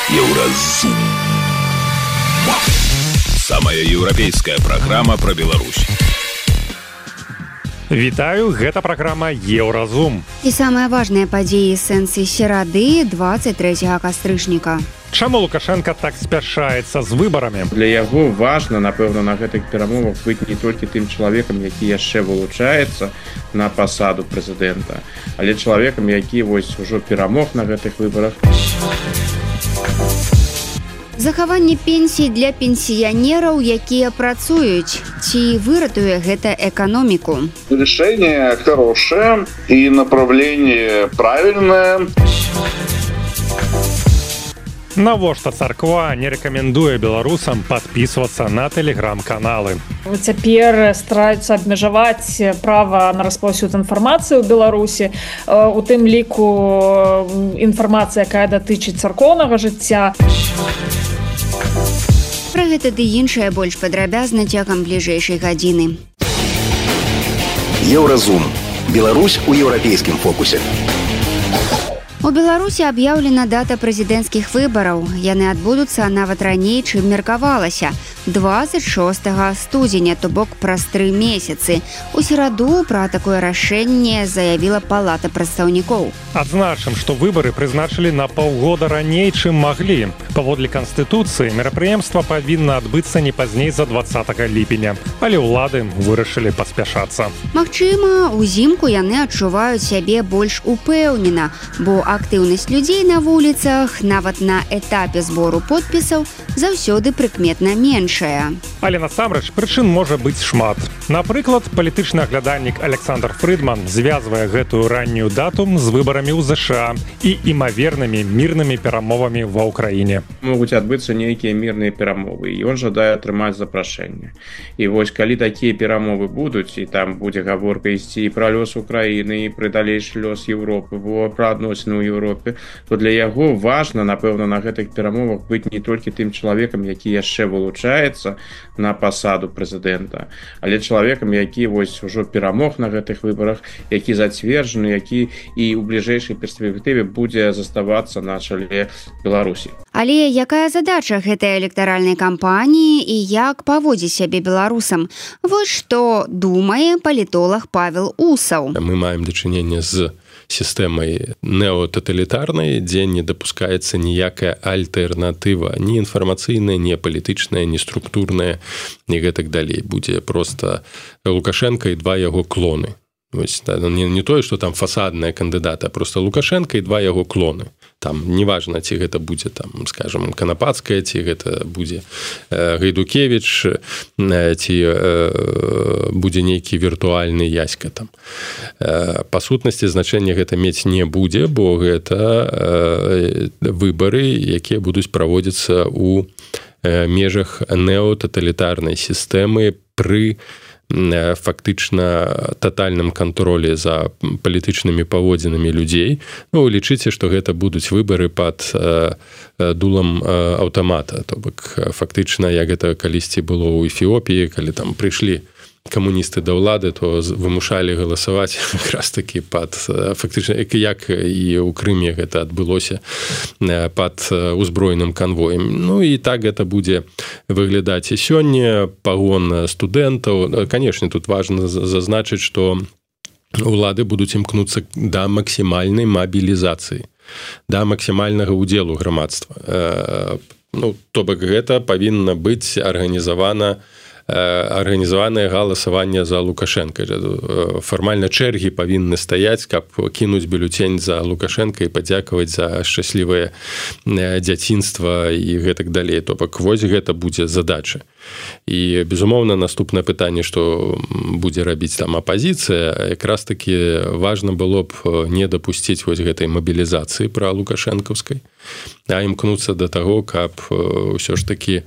Еўразум. Самая еўрапейская праграма пра Беларусь. Вітаю, гэта праграма Еўразум. І самыя важныя падзеі сэнсы серады 23 кастрычніка. Чаму Лукашенко так спяшаецца з выбарамі? Для яго важна, напэўна, на гэтых перамовах быць не толькі тым чалавекам, які яшчэ вылучаецца на пасаду прэзідэнта, але чалавекам, які вось ужо перамог на гэтых выбарах. Захаванне пенсій для пенсіянераў, якія працуюць. Ці выратуе гэта эканоміку? Решение хорошее и направление правильное. Навошта царква не рэкамендуе беларусам падпісвацца на тэлеграм-каналы? Цяпер стараюцца абмежаваць права на распаўсюд інфармацыі ў Беларусі, у тым ліку інфармацыя, якая датычыць царкоўнага жыцця. Пра гэта ды іншае больш падрабязна цягам бліжэйшай гадзіны. Еўразум. Беларусь у еўрапейскім фокусе. У Беларусі аб'яўлена дата прэзідэнцкіх выбараў. Яны адбудуцца нават раней, чым меркавалася. 26 студзеня, то бок праз 3 месяцы. У сераду пра такое рашэнне заявіла Палата прадстаўнікоў. Адзначым, што выбары прызначылі на паўгода раней, чым маглі. Паводле Канстытуцыі, мерапрыемства павінна адбыцца не пазней за 20 ліпеня. Але ўлады вырашылі паспяшацца. Магчыма, узімку яны адчуваюць сябе больш упэўнена, бо актыўнасць людзей на вуліцах, нават на этапе збору подпісаў, заўсёды прыкметна меншая. Але насамрэч прычын можа быць шмат. Напрыклад, палітычны аглядальнік Александр Фрыдман звязвае гэтую раннюю дату з выбарамі ў ЗША і імавернымі мірнымі перамовамі ва ўкраіне. Могуць адбыцца нейкія мірныя перамовы, і ён жадае атрымаць запрашэнне. І вось калі такія перамовы будуць, і там будзе гаворка ісці і пра лёс Украіны, і пра далейшы лёс Еўропы, пра адносіны ў Еўропе, то для яго важна, напэўна, на гэтых перамовах быць не толькі тым чалавекам, які яшчэ вылучаецца на пасаду прэзідэнта, але чалавекам, які вось ужо перамог на гэтых выбарах, які зацверджаны, які і ў бліжэйшай перспектыве будзе заставацца на чале Беларусі. Але якая задача гэтай электаральнай кампаніі і як паводзіць сябе беларусам? Вось што думае палітолог Павел Усаў. Мы маем дачыненне з сістэмай неотаталітарнай, дзе не дапускаецца ніякая альтэрнатыва, ні інфармацыйная, ні палітычная, ні структурная, ні гэтак далей. Будзе проста Лукашенко і 2 яго клоны. Вось, не тое, што там фасадная кандыдата, а проста Лукашенко і 2 яго клоны. Там неважна, ці гэта будзе, там, скажем, Канапацкая, ці гэта будзе Гайдукевіч, ці будзе нейкі віртуальны Яська там. Па сутнасці значэння гэта мець не будзе, бо гэта выбары, якія будуць праводзіцца ў межах неотаталітарнай сістэмы пры фактычна татальным кантролі за палітычнымі паводзінамі людзей. Ну, лічыце, што гэта будуць выбары пад дулам аўтамата. То бок фактычна, як гэта калісьці было ў Эфіопіі, калі там прыйшлі камуністы да ўлады, то вымушалі галасаваць якраз такі пад фактычна, як і ў Крыме гэта адбылося, пад узброеным канвоем. Ну і так гэта будзе выглядаць і сёння. Пагон студэнтаў. Канешне, тут важна зазначыць, што ўлады будуць імкнуцца да максімальнай мабілізацыі, да максімальнага ўдзелу грамадства. Ну, то бок гэта павінна быць арганізаванае галасаванне за Лукашенка. Фармальна чэргі павінны стаяць, каб кінуць бюлетень за Лукашенка і падзякаваць за шчаслівае дзяцінства і гэтак далей. То бок вось гэта будзе задача. І, безумоўна, наступнае пытанне, што будзе рабіць там апазіцыя, якраз такі важна было б не дапусціць вось гэтай мабілізацыі пра Лукашэнкаўскай, а імкнуцца да таго, каб ўсё ж такі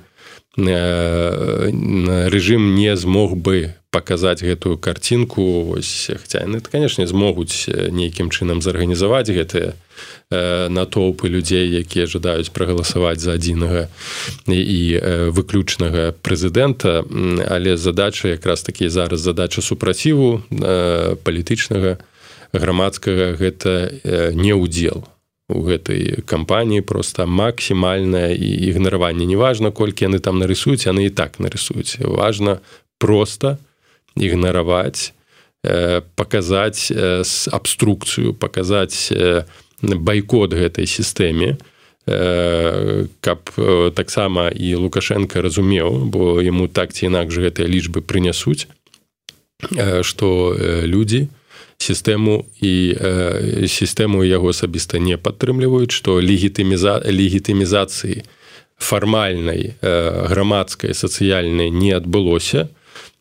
рэжым не змог бы паказаць гэтую карцінку. Вось, хаця яны, канешне, змогуць нейкім чынам зарганізаваць гэтыя натоўпы людзей, якія жадаюць прагаласаваць за адзінага і выключнага прэзідэнта, але задача якраз такі зараз задача супраціву палітычнага, грамадскага, гэта не ўдзел у гэтай кампаніі просто максімальнае ігнараванне. Неважна, колькі яны там нарысуюць, яны і так нарысуюць. Важна просто ігнараваць, паказаць абструкцыю, паказаць байкот гэтай сістэме, каб таксама і Лукашенко разумеў, бо яму так ці інакш гэтыя лічбы прынясуць, што людзі сістэму яго асабіста не падтрымліваюць, што легітымізацыі фармальнай, грамадскай, сацыяльнай не адбылося,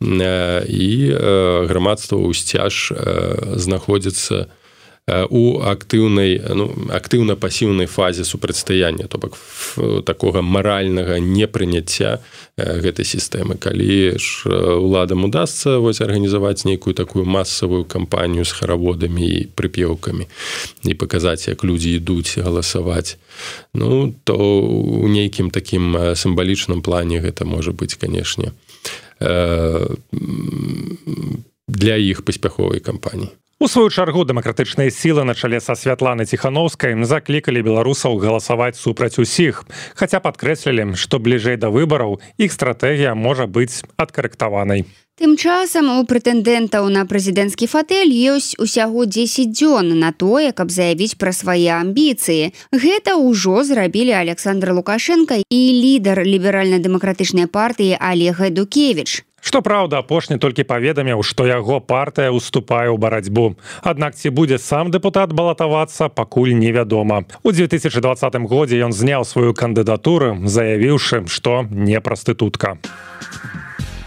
і грамадства ўсцяж знаходзіцца у актыўна-пасіўнай фазе супрацьстаяння, то бок такога маральнага непрыняцця гэтай сістэмы. Калі ж уладам удасца арганізаваць нейкую такую масавую кампанію з хараводамі і прыпеўкамі і паказаць, як людзі ідуць галасаваць, то ў нейкім такім сімвалічным плане гэта можа быць, канешне, для іх паспяховай кампаніі. У сваю чаргу дэмакратычныя сілы на чале са Святланай Ціханаўскай заклікалі беларусаў галасаваць супраць усіх, хаця падкрэслілі, што бліжэй да выбараў іх стратэгія можа быць адкарэктаванай. Тым часам у прэтэндэнтаў на прэзідэнцкі фатэль ёсць усяго 10 дзён на тое, каб заявіць пра свае амбіцыі. Гэта ўжо зрабілі Александр Лукашенко і лідар ліберальна-дэмакратычнай партыі Олег Эдукевіч. Што праўда, апошні толькі паведаміў, што яго партыя ўступае ў барацьбу. Аднак ці будзе сам дэпутат балатавацца, пакуль невядома. У 2020 годзе ён зняў сваю кандыдатуру, заявіўшы, што не прастытутка.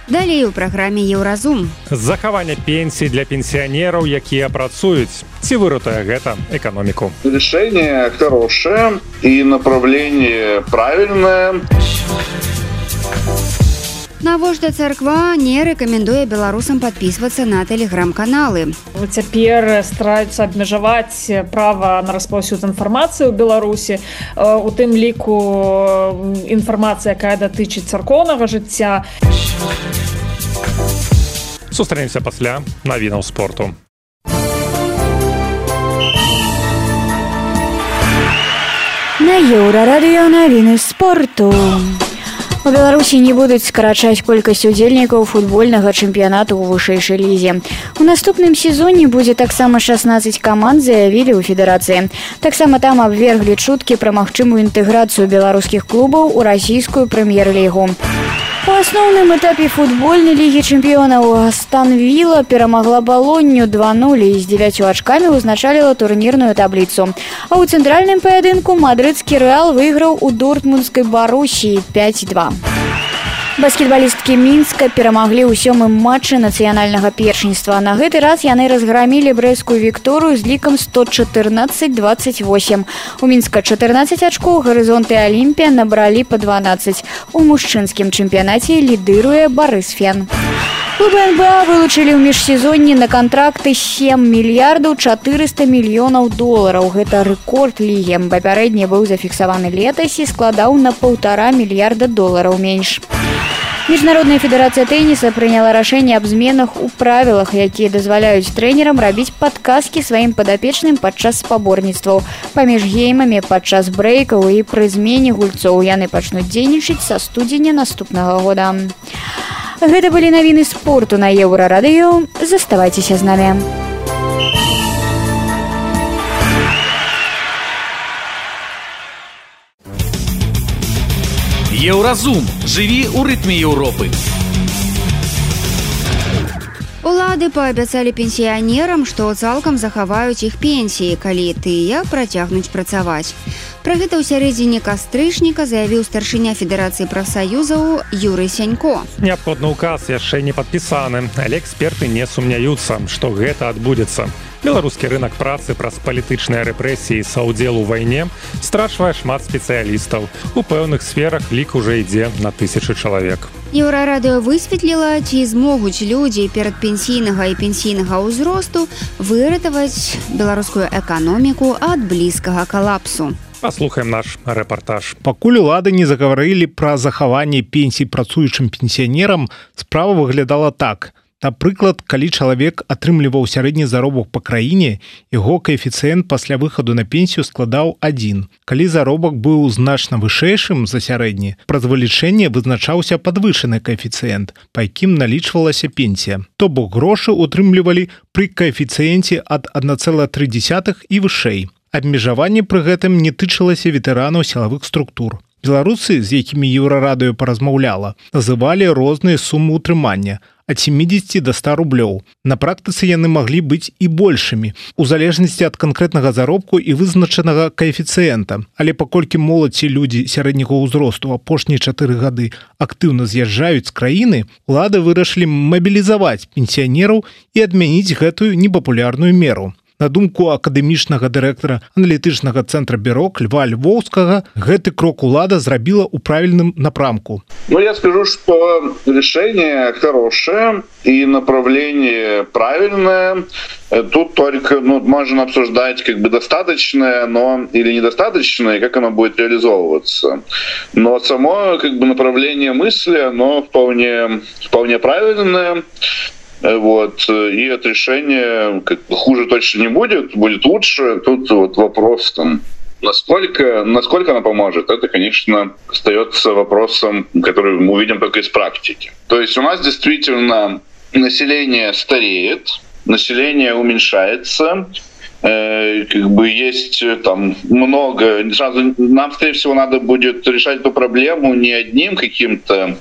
Далей у праграме «Еўразум». Захаванне пенсій для пенсіянераў, якія працуюць. Ці выратуе гэта эканоміку? Решение хорошее и направление правильное. Навошта царква не рэкамендуе беларусам падпісвацца на тэлеграм-каналы. Цяпер стараюцца абмежаваць права на распаўсюд інфармацыі ў Беларусі, у тым ліку інфармацыя, якая датычыць царкоўнага жыцця. Сустрэнемся пасля навінаў спорту. На Еўрарадыё навіны спорту. У Беларусі не будуць скарачаць колькасць удзельнікаў футбольнага чэмпіянату ў вышэйшай лізе. У наступным сезоне будзе таксама 16 каманд, заявілі ў федэрацыі. Таксама там абверглі чуткі пра магчымую інтэграцыю беларускіх клубаў у расійскую прэм'ер-лігу. У асноўным этапе футбольнай лігі чэмпіёнаў Астон Вілла перамагла Балонню 2-0 і з 9 ачкамі ўзначаліла турнірную табліцу. А ў цэнтральным паядынку мадрыдскі Рэал выйграў у дортмундскай Барусіі 5-2. Баскетбалісткі Мінска перамаглі ў 7-м матчы нацыянальнага першынства. На гэты раз яны разграмілі брэсцкую Вікторыю з лікам 114-28. У Мінска 14 ачкоў, Гарызонт і Алімпія набралі па 12. У мужчынскім чэмпіянаце лідыруе Барысфен. Клубы НБА вылучылі ў міжсезонні на кантракты 7 мільярдаў 400 мільёнаў долараў. Гэта рэкорд лігі. Папярэдні быў зафіксаваны летась і складаў на 1,5 мільярда долараў менш. Міжнародная федэрацыя тэніса прыняла рашэнне аб зменах у правілах, якія дазваляюць трэнерам рабіць падказкі сваім падапечным падчас спаборніцтваў. Паміж геймамі падчас брэйкаў і пры змене гульцоў яны пачнуць дзейнічаць са студзеня наступнага года. Гэта былі навіны спорту на Еўрарадыё. Заставайцеся з намі. Еўразум. Жыві ў рытме Еўропы. Улады паабяцалі пенсіянерам, што цалкам захаваюць іх пенсіі, калі тыя працягнуць працаваць. Пра гэта ў сярэдзіне кастрычніка заявіў старшыня Федэрацыі прафсаюзаў Юрый Сянько. Неабходны указ яшчэ не падпісаны, але эксперты не сумняюцца, што гэта адбудзецца. Беларускі рынак працы праз палітычныя рэпрэсіі са ўдзелу ў вайне страчвае шмат спецыялістаў. У пэўных сферах лік ужо ідзе на 1000 чалавек. Еўрарадыё высветліла, ці змогуць людзі перадпенсійнага і пенсійнага ўзросту выратаваць беларускую эканоміку ад блізкага калапсу. Паслухаем наш рэпартаж. Пакуль улады не загаварылі пра захаванне пенсій працуючым пенсіянерам, справа выглядала так. Напрыклад, калі чалавек атрымліваў сярэдні заробак па краіне, яго каэфіцыент пасля выхаду на пенсію складаў 1. Калі заробак быў значна вышэйшым за сярэдні, праз вылічэнне вызначаўся падвышаны каэфіцыент, па якім налічвалася пенсія. То бок грошы утрымлівалі пры каэфіцыенце ад 1,3 і вышэй. Абмежаванне пры гэтым не тычылася ветэранаў сілавых структур. Беларусы, з якімі Еўрарадыё паразмаўляла, называлі розныя сумы ўтрымання ад 70 до 100 рублёў. На практыцы яны маглі быць і большымі, у залежнасці ад канкрэтнага заробку і вызначанага каэфіцыента. Але паколькі моладзь і людзі сярэдняга ўзросту апошнія 4 гады актыўна з'язджаюць з краіны, улады вырашылі мабілізаваць пенсіянераў і адмяніць гэтую непапулярную меру. На думку акадэмічнага дырэктара аналітычнага цэнтра «Бюрок» Льва Львовскага, гэты крок улада зрабіла ў правільным напрамку. Я скажу, что решение хорошее и направление правильное. Тут только можно обсуждать достаточное, или недостаточное, и как оно будет реализовываться. Но само направление мысли, оно вполне правильное. И от решения хуже точно не будет лучше. Тут вопрос насколько она поможет, это, конечно, остается вопросом, который мы увидим только из практики. То есть у нас действительно население стареет, население уменьшается, есть там много. Сразу нам, скорее всего, надо будет решать эту проблему не одним каким-то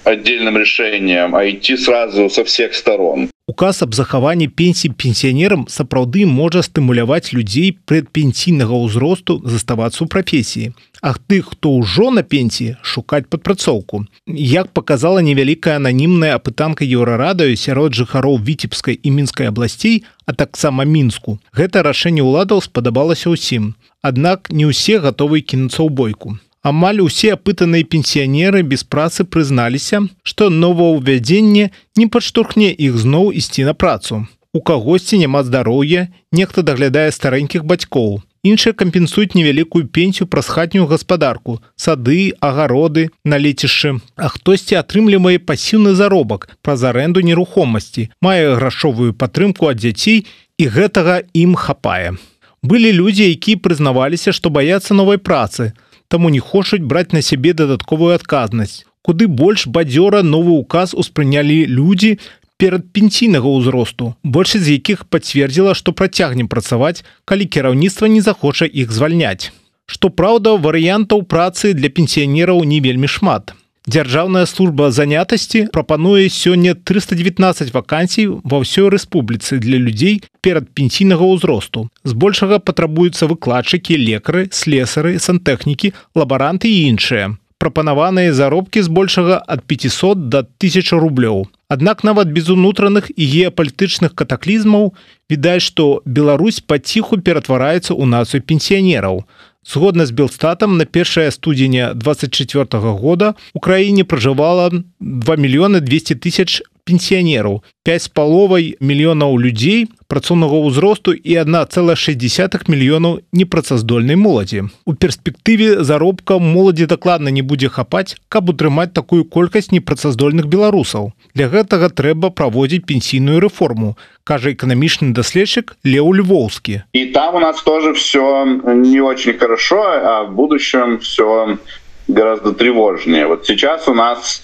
отдельным решением, а идти сразу со всех сторон. Указ аб захаванні пенсій пенсіянерам сапраўды можа стымуляваць людзей предпенсійнага ўзросту заставацца ў прафесіі, а тых, хто ўжо на пенсіі, шукаць падпрацоўку. Як паказала невялікая ананімная апытанка Еўрарадыё сярод жыхароў Віцебскай і Мінскай абласцей, а таксама Мінску, гэта рашэнне ўладаў спадабалася ўсім. Аднак не ўсе гатовы кінуцца ў бойку. Амаль усе апытаныя пенсіянеры без працы прызналіся, што новаўвядзенне не падштурхне іх зноў ісці на працу. У кагосьці няма здароўя, нехта даглядае старэнькіх бацькоў. Іншыя кампенсуюць невялікую пенсію праз хатнюю гаспадарку, сады, агароды, на лецішчы. А хтосьці атрымлівае пасіўны заробак праз арэнду нерухомасці, мае грашовую падтрымку ад дзяцей, і гэтага ім хапае. Былі людзі, якія прызнаваліся, што баяцца новай працы, таму не хочуць браць на сябе дадатковую адказнасць. Куды больш бадзёра новы ўказ успрынялі людзі перадпенсійнага ўзросту, большасць з якіх пацвердзіла, што працягне працаваць, калі кіраўніцтва не захоча іх звальняць. Што праўда, варыянтаў працы для пенсіянераў не вельмі шмат. Дзяржаўная служба занятасці прапануе сёння 319 вакансій ва ўсёй рэспубліцы для людзей перадпенсійнага ўзросту. Збольшага патрабуюцца выкладчыкі, лекары, слесары, сантэхнікі, лабаранты і іншыя. Прапанаваныя заробкі збольшага ад 500 до 1000 рублёў. Аднак нават без унутраных і геапалітычных катаклізмаў відаць, што Беларусь паціху ператвараецца ў нацыю пенсіянераў. Згодна з Белстатам, на 1 студзеня 2024 года у краіне пражывала 2 200 000 пенсіянераў, 5,5 мільёнаў людзей працоўнага ўзросту і 1,6 мільёнаў непрацаздольнай моладзі. У перспектыве заробка моладзі дакладна не будзе хапаць, каб утрымаць такую колькасць непрацаздольных беларусаў. Для гэтага трэба праводзіць пенсійную рэформу, кажа эканамічны даследчык Леў Львовскі. И там у нас тоже все не очень хорошо, а в будущем все гораздо тревожнее. Вот сейчас у нас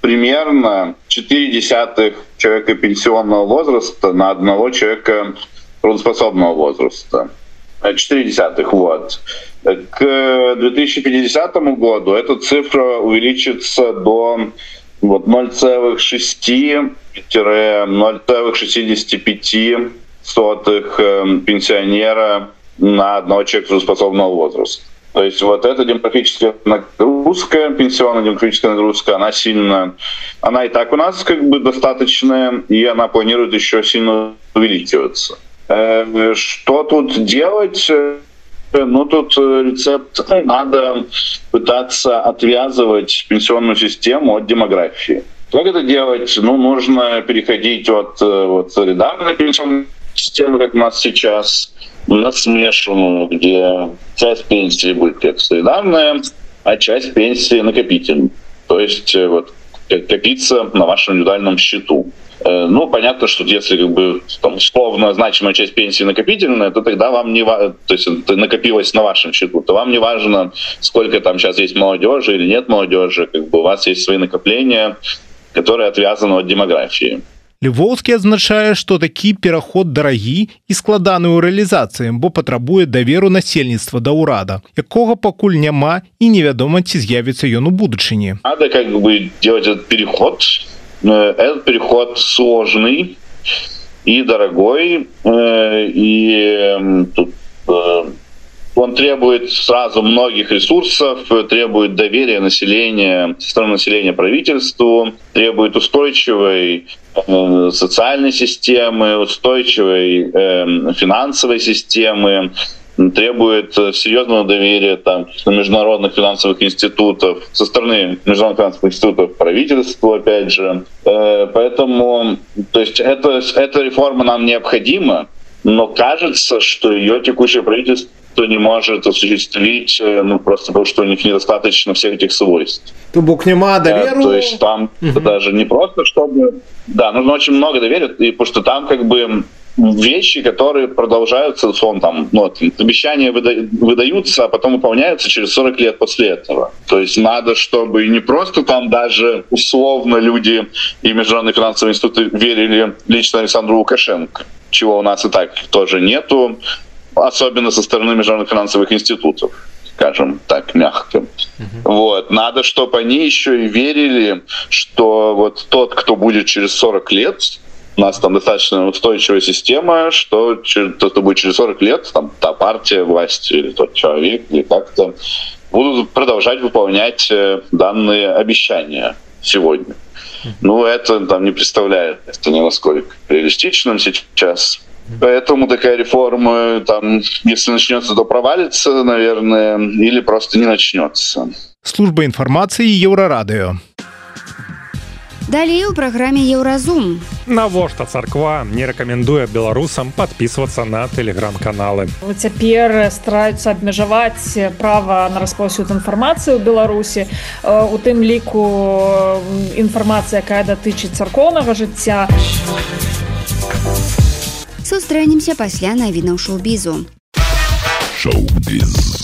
примерно 0,4 человека пенсионного возраста на одного человека трудоспособного возраста. 0,4, вот. К 2050 году эта цифра увеличится до 0,6-0,65 пенсионера на одного человека трудоспособного возраста. То есть вот эта демографическая нагрузка, пенсионная демографическая нагрузка, она сильно... Она и так у нас достаточная, и она планирует еще сильно увеличиваться. Что тут делать? Тут рецепт: надо пытаться отвязывать пенсионную систему от демографии. Как это делать? Нужно переходить от солидарной пенсионной системы, как у нас сейчас, на смешанную, где часть пенсии будет как солидарная, а часть пенсии накопительная. То есть копиться на вашем индивидуальном счету. Ну, понятно, что если как бы там, условно значимая часть пенсии накопительная, то тогда вам не важно, то есть это накопилось на вашем счету, то вам не важно, сколько там сейчас есть молодежи или нет молодежи, как бы у вас есть свои накопления, которые отвязаны от демографии. Львоўскі адзначае, што такі пераход дарагі і складаны ў рэалізацыі, бо патрабуе даверу насельніцтва да ўрада, якога пакуль няма і невядома, ці з'явіцца ён у будучыні. Надо как бы делать этот переход. Этот переход сложный и дорогой, и тут он требует сразу многих ресурсов, требует доверия населения, со стороны населения правительству, требует устойчивой социальной системы, устойчивой финансовой системы, требует серьезного доверия там, международных финансовых институтов, со стороны международных финансовых институтов правительству, опять же. Поэтому то есть эта реформа нам необходима, но кажется, что ее текущее правительство не может осуществить, ну, просто потому что у них недостаточно всех этих свойств. Тубок нема доверия. То есть там даже не просто, чтобы... Да, нужно очень много доверия, потому что там как бы вещи, которые продолжаются, там, ну, обещания выдаются, а потом выполняются через 40 лет после этого. То есть надо, чтобы не просто там даже условно люди и международные финансовые институты верили лично Александру Лукашенко, чего у нас и так тоже нету, особенно со стороны международных финансовых институтов, скажем так, мягко. Вот. Надо, чтобы они еще и верили, что вот тот, кто будет через 40 лет, у нас там достаточно устойчивая система, что тот, кто будет через 40 лет, там, та партия власти или тот человек, или как-то, будут продолжать выполнять данные обещания сегодня. Ну, это там не представляется ни насколько реалистичным сейчас. Поэтому такая реформа, там, если начнется, то провалится, наверное, или просто не начнется. Служба информации Еўрарадыё. Далее у праграме Еўразум. Навошта царква не рэкамендуе беларусам падпісвацца на тэлеграм-каналы. Цяпер стараюцца абмежаваць права на распаўсюд інфармацыі ў Беларусі, у тым ліку інфармацыя, якая датычыць царкоўнага жыцця. Сустрэнемся пасля навінаў шоу-бізу. Шоу-біз.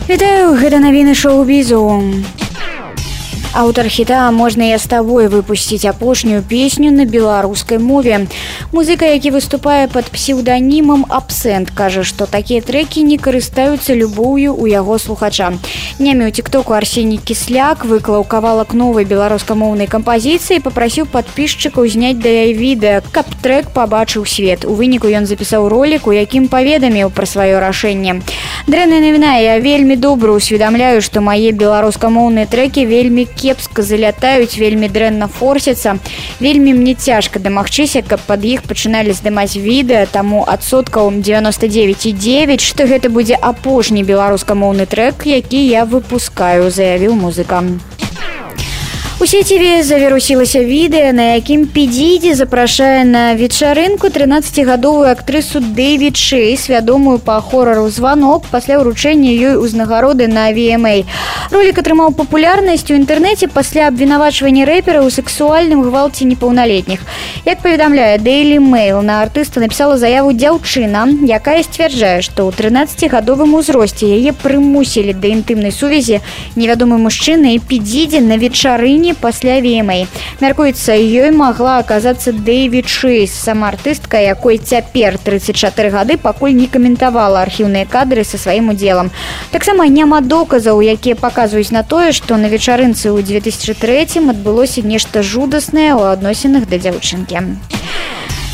Вітаю, гэта навіны шоу-бізу. Аўтар хіта «Можна я з табой» выпусціць апошнюю песню на беларускай мове. Музыка, які выступае пад псеўданімам «Абсент», кажа, што такія трэкі не карыстаюцца любоўю ў яго слухача. Днямі ў тиктоку Арсеній Кісляк выклаў кавалак новай беларускамоўнай кампазіцыі і папрасіў падпісчыкаў зняць да яе відэа, каб трэк пабачыў свет. У выніку ён запісаў ролік, у якім паведаміў пра сваё рашэнне. Дрэнная навіна, я вельмі добра усведамляю, што мае беларускамоўныя трэкі вельмі кепска залятаюць, вельмі дрэнна форсяцца. Вельмі мне цяжка дамагчыся, каб пад іх пачыналі здымаць відэа, таму адсоткаў 99,9, што гэта будзе апошні беларускамоўны трэк, які я выпускаю, заявіў музыка. У сеціве завірусілася відэа, на якім Пі Діді запрашае на вечарынку 13-гадовую актрысу Дэвід Шейс, вядомую па хорару «Званок», пасля ўручэння ёй узнагароды на VMA. Ролік атрымаў папулярнасць у інтэрнэце пасля абвінавачвання рэпера ў сексуальным гвалце непаўналетніх. Як паведамляе Daily Mail, на артыста напісала заяву дзяўчына, якая сцвярджае, што ў 13-гадовым узросце яе прымусілі да інтымнай сувязі невядомы мужчына і Пі Діді на вечарыне пасля VMA. Мяркуецца, ёй магла аказацца Дэвід Шейс. Сама артыстка, якой цяпер 34 гады, пакуль не каментавала архіўныя кадры са сваім удзелам. Таксама няма доказаў, якія паказваюць на тое, што на вечарынцы ў 2003 адбылося нешта жудаснае ў адносінах да дзяўчынкі.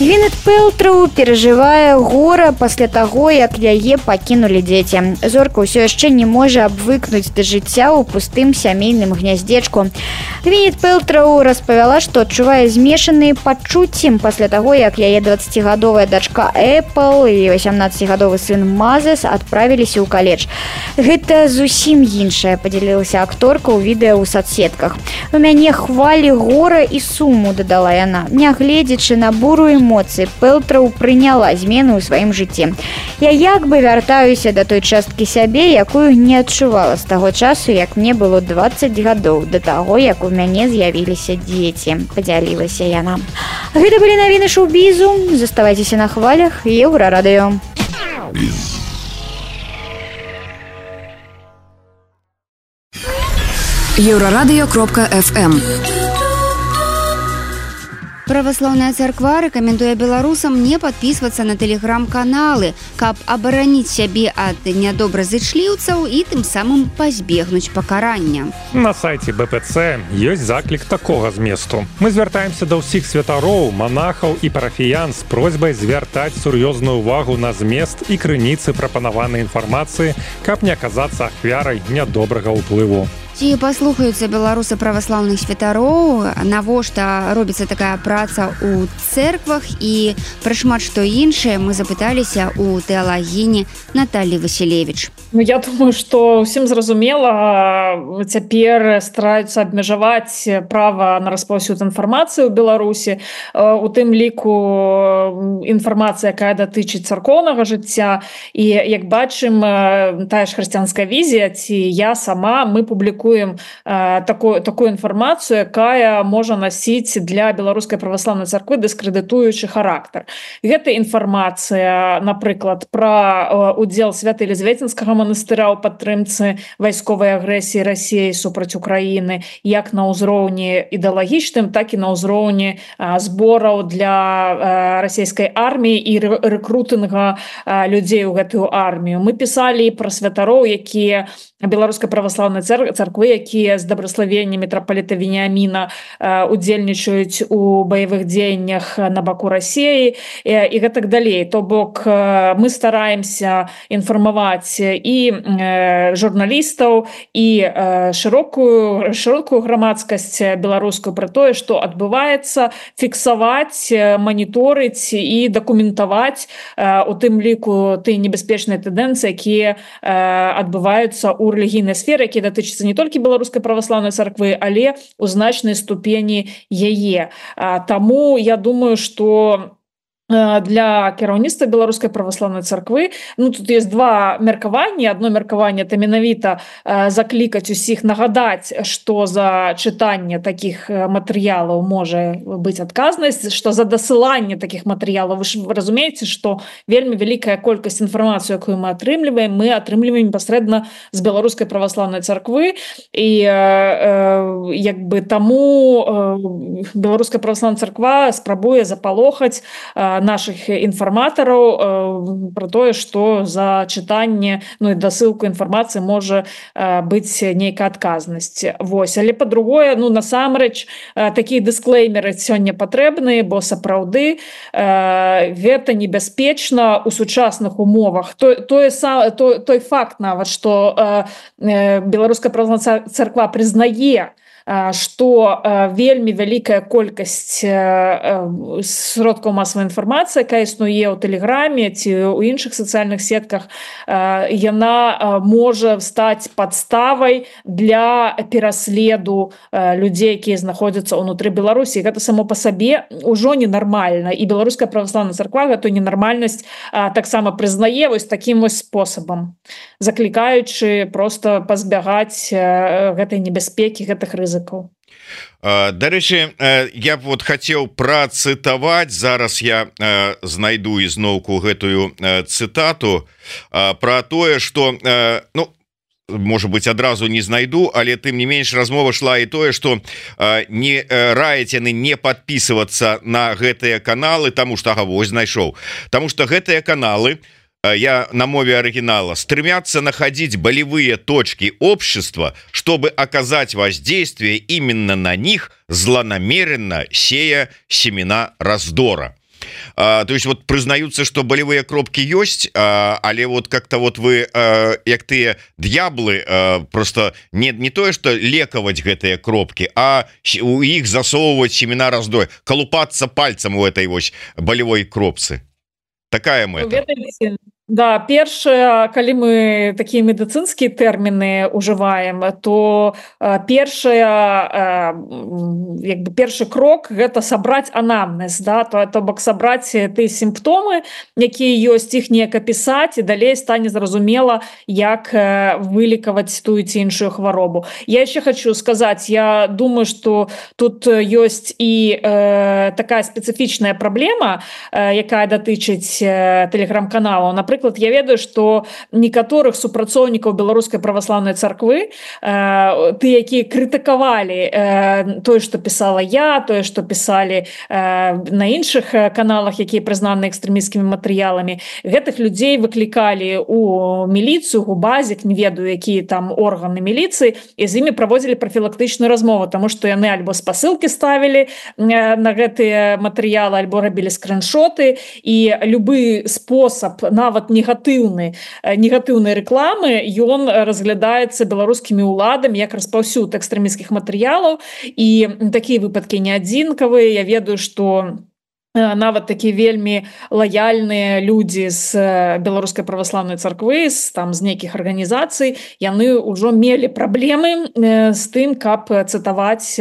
Гвінет Пэлтроу перажывае гора пасля таго, як яе пакінулі дзеці. Зорка ўсё яшчэ не можа абвыкнуць да жыцця ў пустым сямейным гняздзечку. Гвінет Пэлтроу распавяла, што адчувае змешаныя пачуцці пасля таго, як яе 20-гадовая дачка Эпл і 18-гадовы сын Мазес адправіліся ў каледж. Гэта зусім іншае, падзялілася акторка ў відэа ў сацсетках. У мяне хвалі гора і суму, дадала яна. Нягледзячы на буру эмоцый Пэлтраў прыняла змены ў сваім жыцці. Я як бы вяртаюся да той часткі сябе, якую не адчувала з таго часу, як мне было 20 гадоў, да таго, як у мяне з'явіліся дзеці, падзялілася яна. Гэта былі навіны шоу-бізу. Заставайцеся на хвалях Еўрарадыё. Еўрарадыё.фм. Праваслаўная царква рэкамендуе беларусам не падпісвацца на тэлеграм-каналы, каб абараніць сябе ад нядобразычліўцаў і тым самым пазбегнуць пакарання. На сайце БПЦ ёсць заклік такога зместу. Мы звяртаемся да ўсіх святароў, манахаў і парафіян з просьбай звяртаць сур'ёзную ўвагу на змест і крыніцы прапанаванай інфармацыі, каб не аказацца ахвярай нядобрага ўплыву. Ці паслухаюцца беларусы праваслаўных святароў, навошта робіцца такая праца ў цэрквах і пра шмат што іншае мы запыталіся ў тэалагіні Наталі Васілевіч. Я думаю, што ўсім зразумела, цяпер стараюцца абмежаваць права на распаўсюд інфармацыі ў Беларусі, у тым ліку інфармацыя, якая датычыць царкоўнага жыцця. І як бачым, тая ж хрысціянская візія, ці я сама, мы публікуем такую інфармацыю, якая можа насіць для беларускай праваслаўнай царквы дыскрэдытуючы характар. Гэта інфармацыя, напрыклад, пра удзел Свята-Елізаветинскага манастыра ў падтрымцы вайсковай агрэсіі Расіі супраць Украіны, як на ўзроўні ідэалагічным, так і на ўзроўні збораў для расійскай арміі і рэкрутынга людзей у гэтую армію. Мы пісалі пра святароў, якія беларускай праваслаўнай царквы, якія з дабраславення мітрапаліта Веніаміна удзельнічаюць у баявых дзеяннях на баку Расіі і гэтак далей. То бок мы стараемся інфармаваць і журналістаў, і шырокую грамадскасць беларускую пра тое, што адбываецца, фіксаваць, маніторыць і дакументаваць у тым ліку тыя небяспечныя тэндэнцыі, якія адбываюцца ў рэлігійнай сферы, якія датычацца не толькі беларускай праваслаўнай царквы, але ў значнай ступені яе. Таму я думаю, што для кіраўніцтва беларускай праваслаўнай царквы, тут есть два меркаванні. Одно меркаванне — это менавіта заклікаць усіх, нагадаць, што за чытанне такіх матэрыялаў можа быць адказнасць, што за дасыланне такіх матэрыялаў. Вы разумееце, што вельмі вялікая колькасць інфармацыі, якую мы атрымліваем непасрэдна з беларускай праваслаўнай царквы, і як бы таму беларуская праваслаўная царква спрабуе запалохаць наших інфарматараў про тое, што за чытанне, і дасылку інфармацыі можа быць нейкая адказнасць. Вось. Але па-другое, насамрэч, такія дысклеймеры сёння патрэбныя, бо сапраўды гэта небяспечна ў сучасных умовах. Той факт нават, што беларуская праваслаўная царква прызнае, што вельмі вялікая колькасць сродкаў масавай інфармацыі, якая існуе ў тэлеграме ці ў іншых сацыяльных сетках, яна можа стаць падставай для пераследу людзей, якія знаходзяцца ўнутры Беларусі. Гэта само па сабе ўжо ненармальна, і беларуская праваслаўная царква гэтую ненармальнасць таксама прызнае вось такім вось спосабам, заклікаючы проста пазбягаць гэтай небяспекі, гэтых рызыкаў. Дарэчы, я б хацеў працытаваць, зараз я знайду ізноўку гэтую цытату пра тое, што можа быть, адразу не знайду, але тым не менш размова шла і тое, што не раяць яны не падпісвацца на гэтыя каналы, таму што вось знайшоў, таму што гэтыя каналы, я на мове оригинала, стремятся находить болевые точки общества, чтобы оказать воздействие именно на них, злонамеренно сея семена раздора. То есть признаются, что болевые кропки есть, але как-то вы, як тыя д'яблы, просто не тое, что лекаваць гэтыя кропки, а у іх засовывать семена раздора, колупаться пальцем у этой болевой кропцы. Такая мэта. Да, першае, калі мы такія медыцынскія тэрміны ўжываем, то першы крок гэта сабраць анамнез, да, то бок сабраць тыя сімптомы, якія ёсць, іх неяк апісаць, і далей стане зразумела, як вылікаваць тую ці іншую хваробу. Я яшчэ хочу сказаць, я думаю, што тут ёсць і такая спецыфічная праблема, якая датычыць тэлеграм-каналаў. Напрыклад, я ведаю, што некаторых супрацоўнікаў беларускай праваслаўнай царквы, ты, якія крытыкавалі тое, што пісала я, тое, што пісалі на іншых каналах, якія прызнаны экстрэмісцкімі матэрыяламі, гэтых людзей выклікалі у міліцыю, у базік, не ведаю, якія там органы міліцыі, і з імі праводзілі прафілактычную размову, таму што яны альбо спасылкі ставілі на гэтыя матэрыялы, альбо рабілі скриншоты, і любы спосаб, нават негатыўнай рэкламы, ён разглядаецца беларускімі ўладамі як распаўсюд экстрэмісцкіх матэрыялаў, і такія выпадкі не адзінкавыя. Я ведаю, што нават такія вельмі лаяльныя людзі з беларускай праваслаўнай царквы, з нейкіх арганізацый, яны ўжо мелі праблемы з тым, каб цытаваць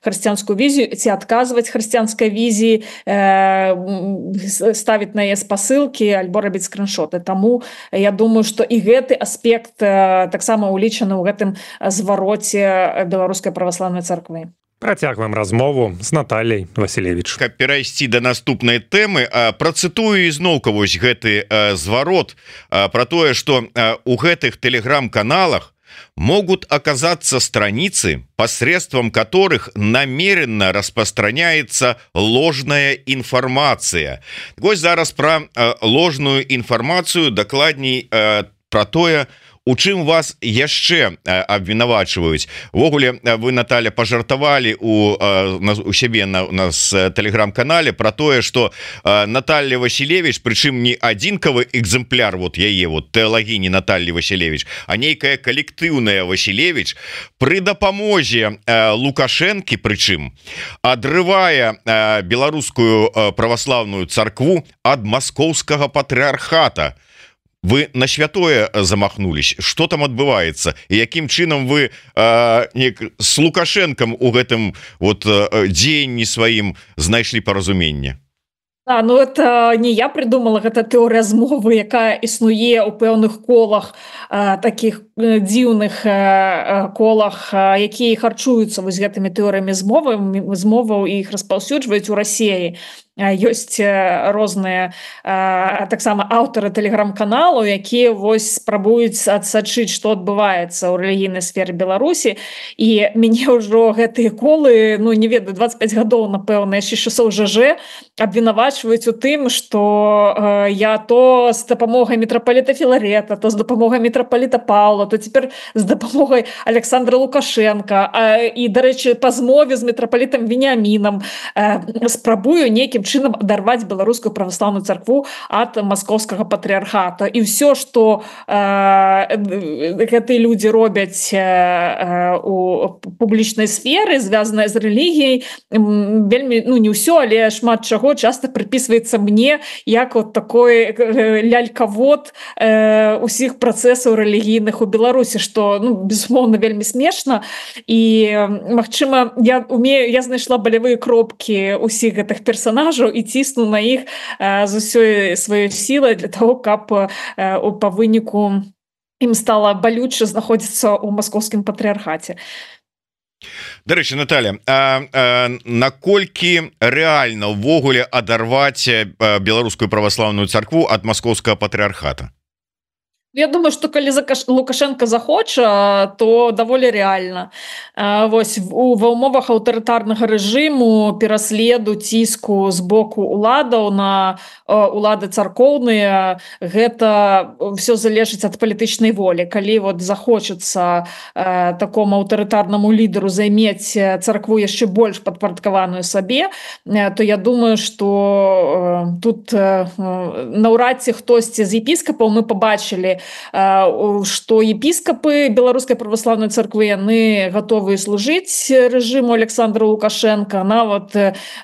хрысціянскую візію ці адказваць хрысціянскай візіі, ставіць на яе спасылкі альбо рабіць скриншоты. Таму я думаю, што і гэты аспект таксама ўлічаны ў гэтым звароце беларускай праваслаўнай царквы. Працягваем размову з Натальяй Васілевіч. Каб перайсці да наступнай тэмы, працытую ізноўка вось гэты зварот пра тое, што у гэтых тэлеграм-каналах могут оказаться страницы, посредством которых намеренно распространяется ложная информация. Вось зараз про ложную информацию, дакладней про тое, у чым вас яшчэ абвінавачваюць. Увогуле, вы, Наталья, пажартавалі у сябе на нас тэлеграм-канале про тое, што Наталья Васілевіч, прычым не адзінкавы экземпляр вот яе вот тэалагіні Натальи Васілевіч, а нейкая калектыўная Васілевіч пры дапамозе Лукашэнкі, прычым адрывае беларускую праваслаўную царкву ад маскоўскага патрыархата. Вы на святое замахнулись, что там адбываецца і якім чынам вы с Лукашэнкам у гэтым вот дзеянні сваім знайшлі паразуменне? Ну это не я придумала, гэта тэорыя змовы, якая існуе ў пэўных колах, таких дзіўных колах, якія харчуюцца вось гэтымі тэорыямі змоваў і іх распаўсюджваюць у Расіі. Ёсць розныя таксама аўтары тэлеграм-каналаў, якія вось спрабуюць адсачыць, што адбываецца ў рэлігійнай сферы Беларусі, і мяне ўжо гэтыя колы, не ведаю, 25 гадоў, напэўна, яшчэ часоў ЖЖ абвінавачваюць у тым, што я то з дапамогай мітрапаліта Філарета, то з дапамогай мітрапаліта Паўла, то цяпер з дапамогай Александра Лукашенка, і, дарэчы, па змове з мітрапалітам Веніамінам спрабую нейкім чынам адарваць беларускую праваслаўную царкву ад маскоўскага патрыархата. І ўсё, што гэтыя людзі робяць у публічнай сферы, звязанае з рэлігіяй, вельмі, не ўсё, але шмат чаго часта прыпісваецца мне як от такой лялькавод усіх працэсаў рэлігійных у Беларусі, што, безумоўна, вельмі смешна. І, магчыма, я знайшла балявыя кропкі ўсіх гэтых персонажаў і цісну на іх з усёй сваёй сілай для того, каб па выніку ім стала балюча знаходзіцца ў маскоўскім патрыархаце. Дарэчы, Наталья, наколькі рэальна ўвогуле адарваць беларускую праваслаўную царкву ад маскоўскага патрыархата? Я думаю, што калі Лукашенко захоча, то даволі рэальна. Вось ва ўмовах аўтарытарнага рэжыму, пераследу, ціску з боку уладаў на улады царкоўныя, гэта ўсё залежыць ад палітычнай волі. Калі вот захочацца такому аўтарытарнаму лідару займець царкву яшчэ больш падпарадкаваную сабе, то я думаю, што тут наўрад ці хтосьці з епіскапаў, мы пабачылі што епіскапы беларускай праваслаўнай царквы яны гатовыя служыць рэжыму Александра Лукашенко, нават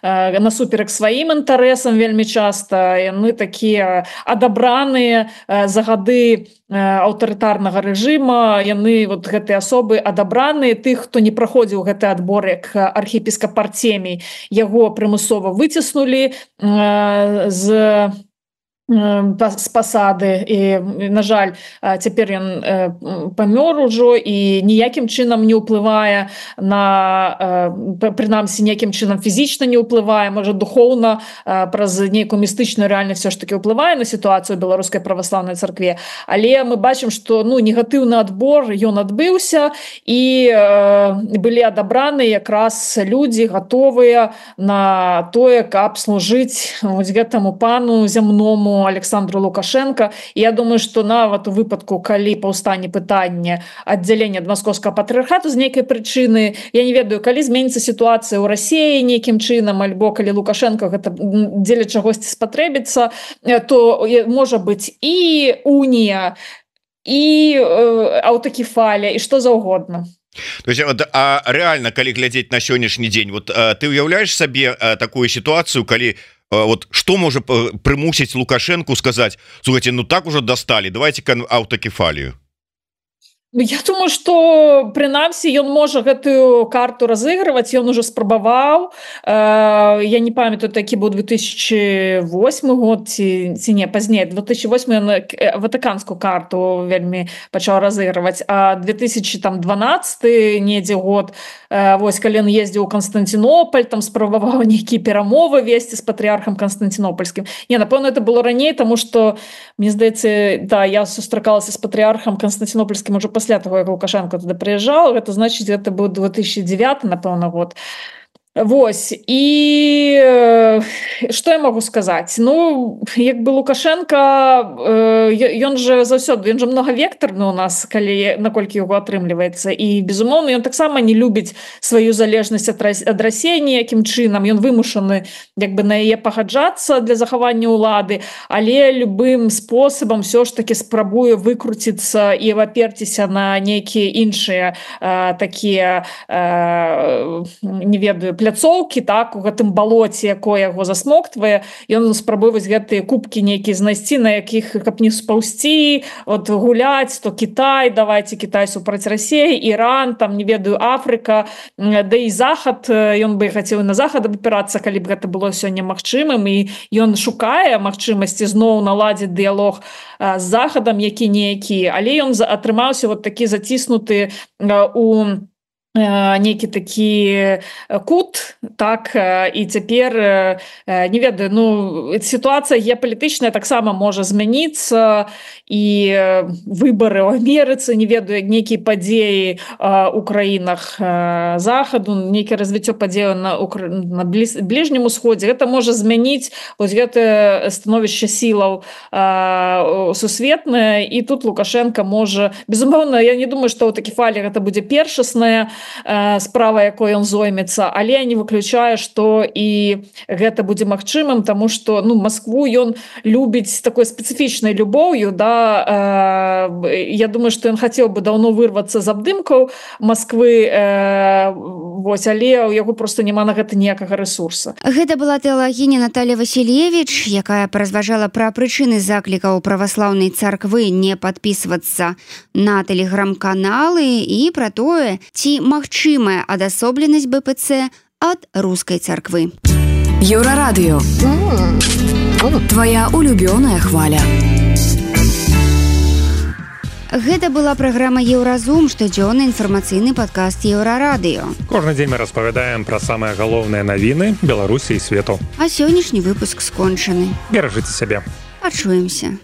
насуперак сваім інтарэсам вельмі часта яны такія адабраныя за гады аўтарытарнага рэжыма, яны вот гэтыя асобы адабраныя, тых, хто не праходзіў гэты адбор як архіепіскап Артемій, яго прымусова выціснулі з пасады і, на жаль, цяпер ён памёр ужо і ніякім чынам не ўплывае на, прынамсі, ніякім чынам фізічна не ўплывае, можа, духоўна праз нейкую містычную рэальнасць все ж таки ўплывае на сітуацыю беларускай праваслаўнай царкве, але мы бачым, што негатыўны адбор ён адбыўся і былі адабраны якраз людзі гатовыя на тое, каб служыць гэтаму пану зямному Александру Лукашенко. І я думаю, што нават у выпадку, калі паўстане пытанне аддзялення ад маскоўскага патрыархату з нейкай прычыны, я не ведаю, калі зменіцца сітуацыя ў Расіі нейкім чынам, альбо калі Лукашенко гэта дзеля чагосьці спатрэбіцца, то можа быць і унія, і аўтакефалія, і што заўгодна. То есть, а реально, калі глядзець на сённяшні дзень, вот ты уяўляеш сабе такую сітуацыю, калі вот что можа прымусіць Лукашенку сказаць: слухайте, так уже достали, давайте-ка аўтакефалію? Я думаю, што прынамсі ён можа гэтую карту разыгрываць, ён уже спрабаваў. Я не памятаю, такі быў 2008 год ці не, пазней, 2008 ён ватыканскую карту вельмі пачаў разыгрываць, а 2012 недзе год, вось калі ён ездзіў у Константинополь, там спрабаваў нейкія перамовы весці з патрыархам Константинопольскім. Не, напэўна, это было раней, таму што, мне здаецца, да, я сустракалася з патрыархам Константинопольскім уже пасля таго, як Лукашенко туды прыязджаў, гэта значыць, гэта быў 2009, напэўна, год. Вось, і што я могу сказаць? Як бы Лукашенко, ён же заўсёды, ён же многавектарны у нас, наколькі яго атрымліваецца, і, безумоўна, ён таксама не любіць сваю залежнасць ад Расіі ніякім чынам, ён вымушаны як бы на яе пагаджацца для захавання ўлады, але любым спосабам все ж таки спрабуе выкруціцца і аперціся на нейкія іншыя такія, не ведаю, пляцоўкі, так, у гэтым балоце, якое яго засмоктвае, ён спрабуе вось гэтыя кубкі нейкія знайсці, на якіх, каб не спаўсці, от гуляць, то Кітай, давайте Кітай супраць Расіі, Іран, там, не ведаю, Афрыка, да і Захад, ён бы хацеў на Захад абапірацца, калі б гэта было сёння магчымым, і ён шукае магчымасці зноў наладзіць дыялог з Захадам, які-ніякі, але ён атрымаўся вот такі заціснуты у нейкі такі кут, так, і цяпер, не ведаю, сітуацыя геапалітычная таксама можа змяніцца, і выбары ў Амерыцы, не ведаю, нейкія падзеі ў краінах Захаду, нейкае развіццё падзеяў на Бліжнім Усходзе, гэта можа змяніць вось гэтае становішча сілаў сусветнае, і тут Лукашенко можа, безумоўна, я не думаю, што аўтакефалія гэта будзе першасная справа, якой ён зоймецца, але я не выключаю, што і гэта будзе магчымым, таму што Маскву ён любіць такой спецыфічнай любоўю, да, я думаю, што ён хацеў бы даўно вырвацца з абдымкаў Масквы, вось, але ў яго проста няма на гэта ніякага рэсурса. Гэта была тэалагіня Наталья Васильевич, якая паразважала пра прычыны заклікаў праваслаўнай царквы не падпісвацца на тэлеграм-каналы і пра тое, ці магчымая адасобленасць БПЦ ад рускай царквы. Еўрарадыё. Твоя улюбёная хваля. Гэта была праграма «Еўразум», штодзённы інфармацыйны падкаст Еўрарадыё. Кожны дзень мы распавядаем пра самыя галоўныя навіны Беларусі і свету. А сённяшні выпуск скончаны. Беражыце сябе. Пачуемся.